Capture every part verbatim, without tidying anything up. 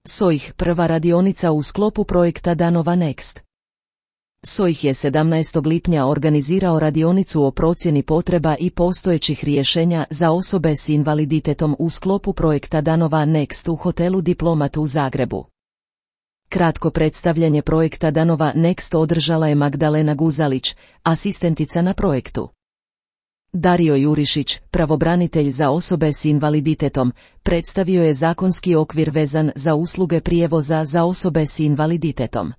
S O I H, prva radionica u sklopu projekta Danova Next. S O I H je sedamnaestog lipnja organizirao radionicu o procjeni potreba i postojećih rješenja za osobe s invaliditetom u sklopu projekta Danova Next u hotelu Diplomat u Zagrebu. Kratko predstavljanje projekta Danova Next održala je Magdalena Guzalić, asistentica na projektu. Dario Jurišić, pravobranitelj za osobe s invaliditetom, predstavio je zakonski okvir vezan za usluge prijevoza za osobe s invaliditetom.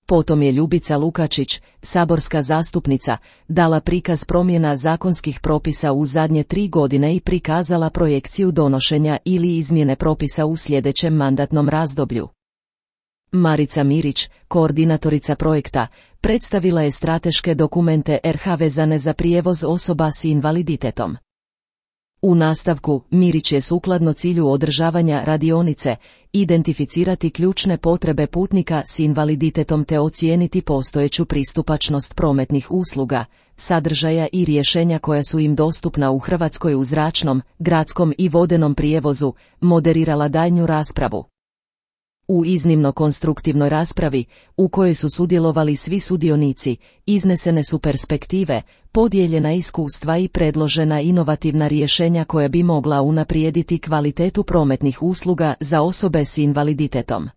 Potom je Ljubica Lukačić, saborska zastupnica, dala prikaz promjena zakonskih propisa u zadnje tri godine i prikazala projekciju donošenja ili izmjene propisa u sljedećem mandatnom razdoblju. Marica Mirić, koordinatorica projekta, predstavila je strateške dokumente R H vezane za prijevoz osoba s invaliditetom. U nastavku, Mirić je sukladno cilju održavanja radionice identificirati ključne potrebe putnika s invaliditetom te ocijeniti postojeću pristupačnost prometnih usluga, sadržaja i rješenja koja su im dostupna u Hrvatskoj u zračnom, gradskom i vodenom prijevozu, moderirala daljnju raspravu. U iznimno konstruktivnoj raspravi, u kojoj su sudjelovali svi sudionici, iznesene su perspektive, podijeljena iskustva i predložena inovativna rješenja koja bi mogla unaprijediti kvalitetu prometnih usluga za osobe s invaliditetom.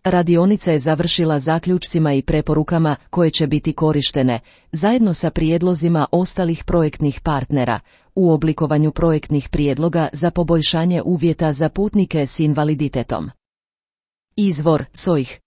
Radionica je završila zaključcima i preporukama koje će biti korištene, zajedno sa prijedlozima ostalih projektnih partnera, u oblikovanju projektnih prijedloga za poboljšanje uvjeta za putnike s invaliditetom. Izvor: S O I H.